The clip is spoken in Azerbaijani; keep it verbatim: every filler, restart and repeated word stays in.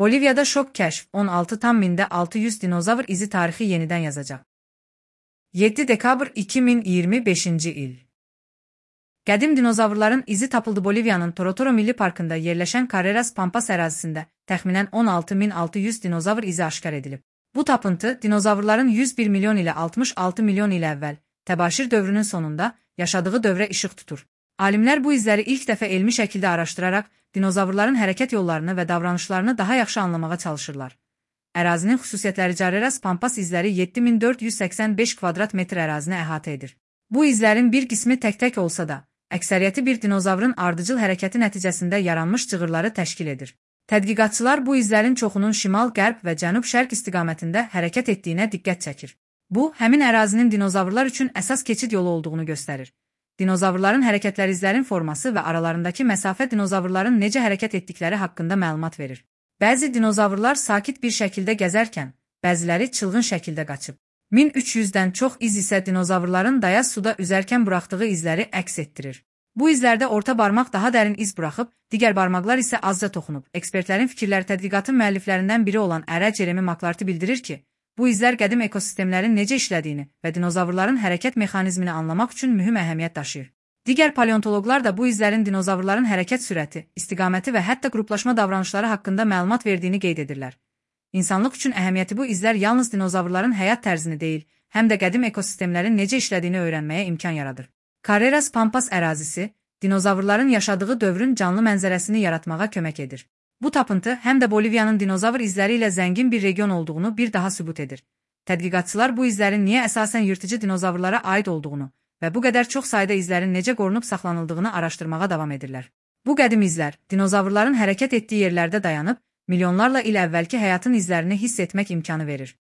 Boliviyada şok kəşf on altı tam mində altı yüz dinozavr izi tarixi yenidən yazacaq. yeddi dekabr iki min iyirmi beşinci il. Qədim dinozavrların izi tapıldı. Boliviyanın Torotoro Milli Parkında yerləşən Carreras Pampas ərazisində təxminən on altı min altı yüz dinozavr izi aşkar edilib. Bu tapıntı dinozavrların yüz bir milyon ilə altmış altı milyon il əvvəl təbaşir dövrünün sonunda yaşadığı dövrə işıq tutur. Alimlər bu izləri ilk dəfə elmi şəkildə araşdıraraq dinozavrların hərəkət yollarını və davranışlarını daha yaxşı anlamağa çalışırlar. Ərazinin xüsusiyyətləri: Carreras Pampas izləri yeddi min dörd yüz səksən beş kvadrat metr ərazini əhatə edir. Bu izlərin bir qismi tək-tək olsa da, əksəriyyəti bir dinozavrın ardıcıl hərəkəti nəticəsində yaranmış cığırları təşkil edir. Tədqiqatçılar bu izlərin çoxunun şimal, qərb və cənub-şərq istiqamətində hərəkət etdiyinə diqqət çəkir. Bu, həmin ərazinin dinozavrlar üçün əsas keçid yolu olduğunu göstərir. Dinozavrların hərəkətləri, izlərin forması və aralarındakı məsafə dinozavrların necə hərəkət etdikləri haqqında məlumat verir. Bəzi dinozavrlar sakit bir şəkildə gəzərkən, bəziləri çılğın şəkildə qaçıb. min üç yüzdən çox iz isə dinozavrların dayaz suda üzərkən buraxdığı izləri əks etdirir. Bu izlərdə orta barmaq daha dərin iz buraxıb, digər barmaqlar isə azca toxunub. Ekspertlərin fikirləri: tədqiqatın müəlliflərindən biri olan Ərə Jeremy McClarty bildirir ki, bu izlər qədim ekosistemlərin necə işlədiyini və dinozavrların hərəkət mexanizmini anlamaq üçün mühüm əhəmiyyət daşıyır. Digər paleontoloqlar da bu izlərin dinozavrların hərəkət sürəti, istiqaməti və hətta qruplaşma davranışları haqqında məlumat verdiyini qeyd edirlər. İnsanlıq üçün əhəmiyyəti: bu izlər yalnız dinozavrların həyat tərzini deyil, həm də qədim ekosistemlərin necə işlədiyini öyrənməyə imkan yaradır. Carreras Pampas ərazisi, dinozavrların yaşadığı dövrün canlı mənzərəsini yaratmağa kömək edir. Bu tapıntı həm də Boliviyanın dinozavr izləri ilə zəngin bir region olduğunu bir daha sübut edir. Tədqiqatçılar bu izlərin niyə əsasən yırtıcı dinozavrlara aid olduğunu və bu qədər çox sayda izlərin necə qorunub saxlanıldığını araşdırmağa davam edirlər. Bu qədim izlər, dinozavrların hərəkət etdiyi yerlərdə dayanıb, milyonlarla il əvvəlki həyatın izlərini hiss etmək imkanı verir.